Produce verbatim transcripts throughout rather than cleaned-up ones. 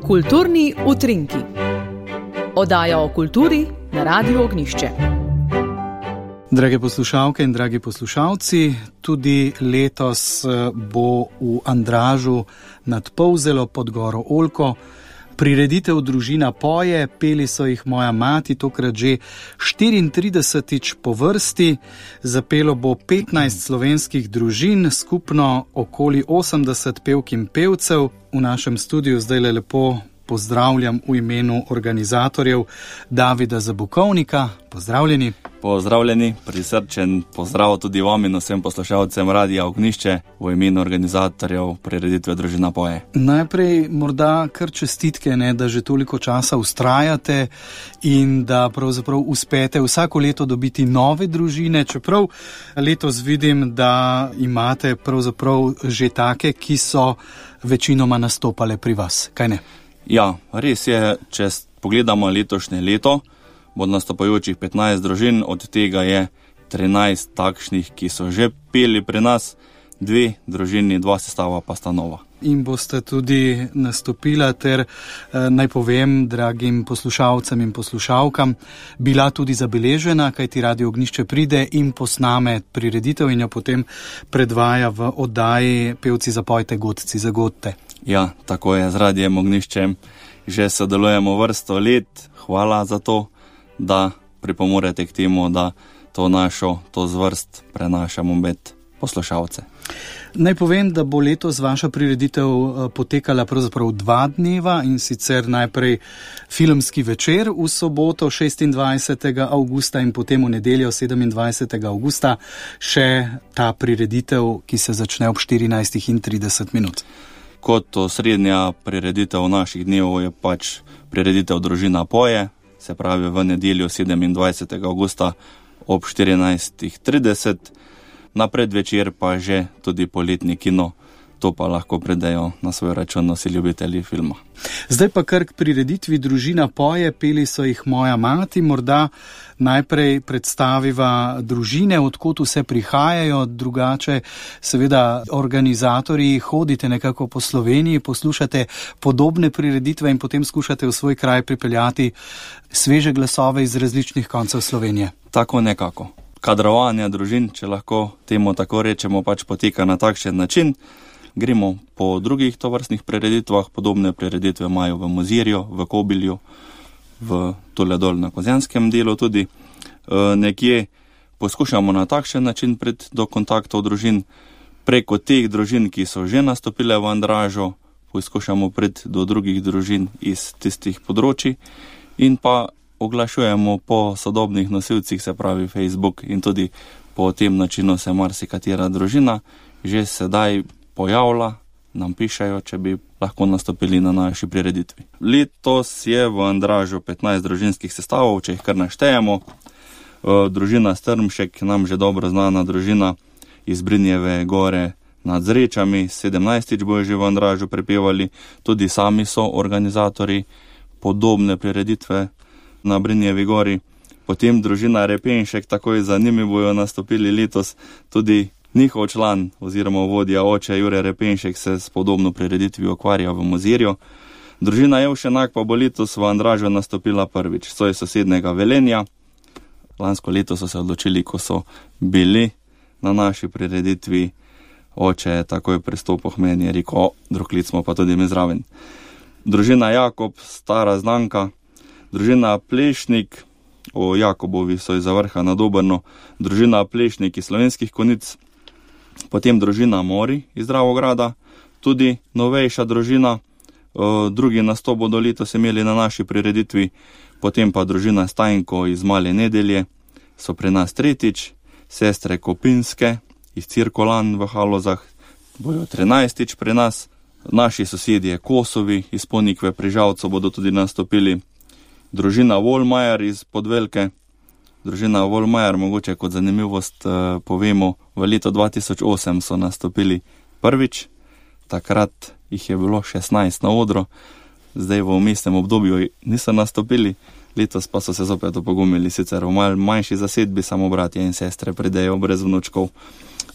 Kulturni utrinki. Oddaja o kulturi na Radiu Ognjišče. Drage poslušalke in dragi poslušalci, tudi letos bo v Andražu nad Polzelo pod goro Oljko prireditev Družina poje, peli so jih Moja mati, tokrat že štiriintridesetič po vrsti. Zapelo bo petnajst slovenskih družin, skupno okoli osemdeset pevk in pevcev. V našem studiu zdaj le lepo pozdravljam v imenu organizatorjev Davida Zabukovnika. Pozdravljeni. Pozdravljeni, prisrčen pozdrav tudi vam in vsem poslušalcem Radia Ognjišče v imenu organizatorjev prireditve Družina poje. Najprej morda kar čestitke, ne, da že toliko časa vztrajate in da pravzaprav uspete vsako leto dobiti nove družine, čeprav letos vidim, da imate pravzaprav že take, ki so večinoma nastopale pri vas, kaj ne? Ja, res je, če pogledamo letošnje leto, bo nastopajočih petnajst družin, od tega je trinajst takšnih, ki so že peli pri nas, dve družini, dva sestava pa sta nova. In boste tudi nastopila ter, eh, naj povem, dragim poslušalcem in poslušalkam, bila tudi zabeležena, kajti Radio Ognjišče pride in posname prireditev in jo potem predvaja v oddaji Pevci zapojte, godci zagodte. Ja, tako je, z Radijem Ognjiščem že sodelujemo vrsto let, hvala za to, da pripomorete k temu, da to našo, to zvrst prenašamo med poslušalce. Naj povem, da bo letos vaša prireditev potekala pravzaprav dva dneva, in sicer najprej filmski večer v soboto šestindvajsetega avgusta in potem v nedeljo sedemindvajsetega avgusta še ta prireditev, ki se začne ob štirinajstih trideset minut. Kot osrednja prireditev naših dnevov je pač prireditev Družina poje, se pravi v nedeljo sedemindvajsetega avgusta ob štirinajstih trideset, na predvečer pa že tudi poletni kino, to pa lahko predajo na svoj račun vsi ljubitelji filma. Zdaj pa kar k prireditvi Družina poje, peli so jih Moja mati, morda najprej predstaviva družine, odkot vse prihajajo, drugače seveda organizatorji hodite nekako po Sloveniji, poslušate podobne prireditve in potem skušate v svoj kraj pripeljati sveže glasove iz različnih koncev Slovenije. Tako nekako. Kadrovanje družin, če lahko temu tako rečemo, pač poteka na takšen način. Gremo po drugih tovrstnih prireditvah, podobne prireditve imajo v Mozirju, v Kobilju, v tole dol na Kozjanskem delu tudi. E, nekje poskušamo na takšen način priti do kontaktov družin, preko teh družin, ki so že nastopile v Andražu, poskušamo priti do drugih družin iz tistih področij in pa oglašujemo po sodobnih nosilcih, se pravi Facebook, in tudi po tem načinu se marsikatera družina že sedaj pojavlja, nam pišajo, če bi lahko nastopili na naši prireditvi. Letos je v Andražu petnajst družinskih sestavov, če jih kar naštejemo. Družina Strmšek, nam že dobro znana družina iz Brinjeve gore nad Zrečami, sedemnajstič bojo že v Andražu prepevali, tudi sami so organizatori podobne prireditve na Brinjevi gori. Potem družina Repenšek, takoj za njimi bojo nastopili letos tudi njihov član oziroma vodja oče Jure Repenšek se s podobno prireditvijo ukvarja v Mozirju. Družina Jevšenak pa bo letos v Andražu nastopila prvič, so iz sosednega Velenja. Lansko leto so se odločili, ko so bili na naši prireditvi, oče je takoj pristopil k meni, je rekel, drug lic smo pa tudi mi zraven. Družina Jakob, stara znanka, družina Plešnik, o Jakobovi so iz Zavrha nad Obrno, družina Plešnik iz Slovenskih Konjic, potem družina Mori iz Dravograda, tudi novejša družina, drugi nastop bodo letos imeli na naši prireditvi, potem pa družina Stajnko iz Male Nedelje so pri nas tretjič, sestre Kopinske iz Cirkolan v Halozah bojo trinajstič pri nas, naši sosedje Kosovi iz Ponikve pri Žalcu bodo tudi nastopili, družina Volmajer iz Podvelke. Družina Volmajer, mogoče kot zanimivost eh, povemo, v letu dva tisoč osem so nastopili prvič, takrat jih je bilo šestnajst na odru, zdaj v vmesnem obdobju niso nastopili, Letos pa so se zopet opogumili, sicer v mal manjši zasedbi, samo bratje in sestre pridejo brez vnučkov.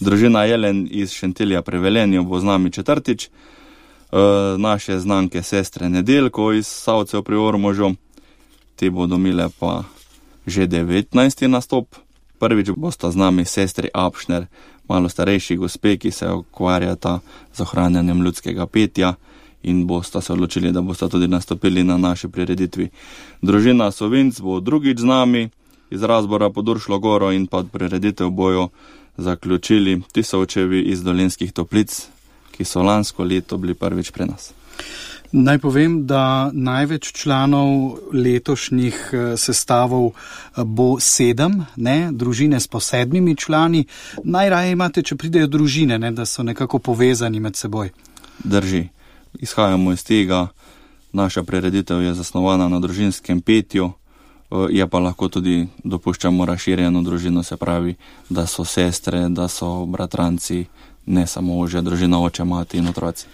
Družina Jelen iz Šentilja pri Velenju bo z nami četrtič, e, naše znanke sestre Nedeljko iz Savcev pri Ormožu, te bodo imele pa že devetnajsti nastop. Prvič bosta z nami sestri Apšner, malo starejši gospe, ki se ukvarjata z ohranjanjem ljudskega petja in bosta se odločili, da bosta tudi nastopili na naši prireditvi. Družina Sovinc bo drugič z nami, iz Razbora pod Uršlo goro, in pa prireditev bojo zaključili Tisovčevi iz Dolenjskih Toplic, ki so lansko leto bili prvič pri nas. Naj povem, da največ članov letošnjih sestavov bo sedem, ne, družine s po sedmimi člani. Najraje imate, če pridejo družine, ne, da so nekako povezani med seboj. Drži. Izhajamo iz tega, naša prireditev je zasnovana na družinskem petju, je pa lahko tudi dopuščamo razširjeno družino, se pravi, da so sestre, da so bratranci, ne samo ožja družina, oče, mati in otroci.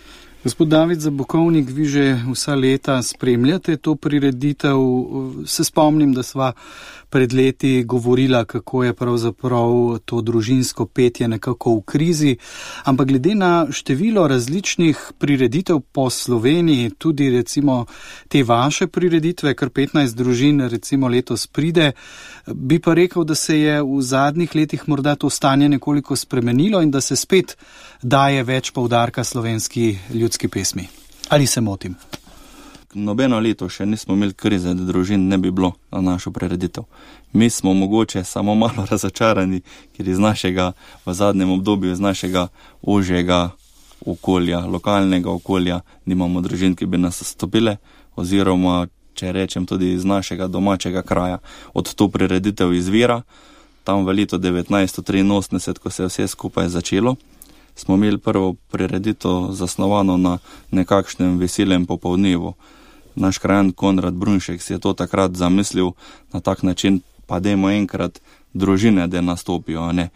Gospod David Zabukovnik, vi že vsa leta spremljate to prireditev. Se spomnim, da sva pred leti govorila, kako je pravzaprav to družinsko petje nekako v krizi, ampak glede na število različnih prireditev po Sloveniji, tudi recimo te vaše prireditve, kar petnajst družin recimo letos pride, bi pa rekel, da se je v zadnjih letih morda to stanje nekoliko spremenilo in da se spet daje več poudarka slovenski ljudski pesmi. Ali se motim? Nobeno leto še nismo imeli krize, da družin ne bi bilo na našo prireditev. Mi smo mogoče samo malo razočarani, ker iz našega, v zadnjem obdobju, iz našega ožjega okolja, lokalnega okolja, nimamo družin, ki bi nas stopile, oziroma, če rečem, tudi iz našega domačega kraja. Od to prireditev izvira, tam v letu devetnajststo triinosemdeset, ko se je vse skupaj začelo, smo imeli prvo prireditev zasnovano na nekakšnem veselem popoldnevu. Naš krajan Konrad Brunšek si je to takrat zamislil na tak način, pa dajmo enkrat družine, da nastopijo, ne.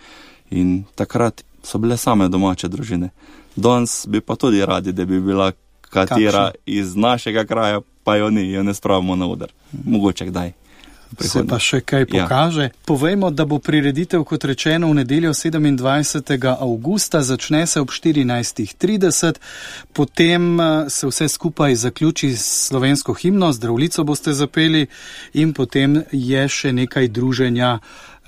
In takrat so bile same domače družine. Danes bi pa tudi radi, da bi bila katera Kakšen? Iz našega kraja, pa jo ni, jo ne spravimo na oder. Mogoče kdaj. Se pa še kaj pokaže. Ja. Povejmo, da bo prireditev, kot rečeno, v nedeljo sedemindvajsetega avgusta, začne se ob štirinajst trideset, potem se vse skupaj zaključi s slovensko himno, Zdravljico boste zapeli in potem je še nekaj druženja,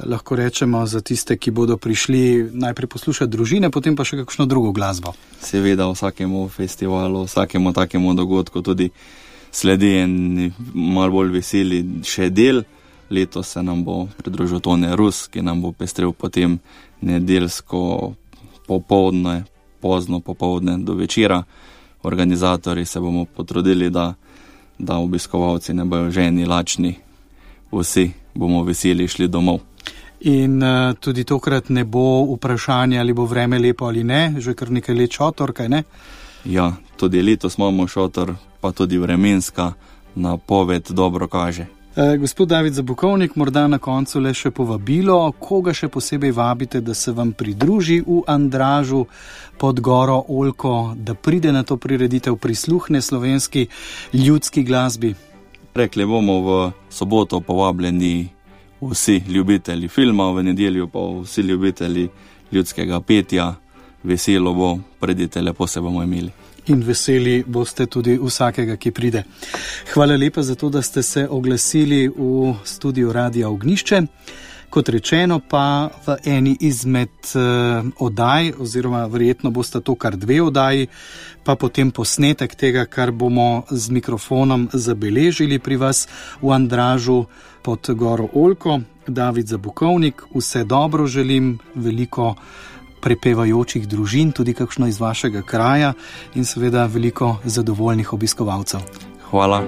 lahko rečemo, za tiste, ki bodo prišli najprej poslušati družine, potem pa še kakšno drugo glasbo. Seveda vsakemu festivalu, vsakemu takemu dogodku tudi sledi en malo bolj veseli še del. Letos se nam bo pridružil Tone Rus, ki nam bo pestril potem nedeljsko popoldne, pozno popoldne do večera. Organizatorji se bomo potrudili, da, da obiskovalci ne bojo ženi, lačni, vsi bomo veseli šli domov. In uh, tudi tokrat ne bo vprašanje, ali bo vreme lepo ali ne, že kar nekaj let šotor, kaj ne? Ja, tudi letos imamo šotor, pa tudi vremenska napoved dobro kaže. E, gospod David Zabukovnik, morda na koncu le še povabilo, koga še posebej vabite, da se vam pridruži v Andražu pod goro Oljko, da pride na to prireditev, prisluhne slovenski ljudski glasbi? Rekli bomo v soboto povabljeni vsi ljubitelji filma, v nedeljo pa vsi ljubitelji ljudskega petja. Veselo bo, pridite, lepo se bomo imeli. In veseli boste tudi vsakega, ki pride. Hvala lepa za to, da ste se oglasili v studiu Radia Ognjišče. Kot rečeno pa v eni izmed uh, oddaj, oziroma verjetno bosta to kar dve oddaji, pa potem posnetek tega, kar bomo z mikrofonom zabeležili pri vas v Andražu pod goro Oljko. David Zabukovnik, vse dobro želim, veliko prepevajočih družin, tudi kakšno iz vašega kraja in seveda veliko zadovoljnih obiskovalcev. Hvala.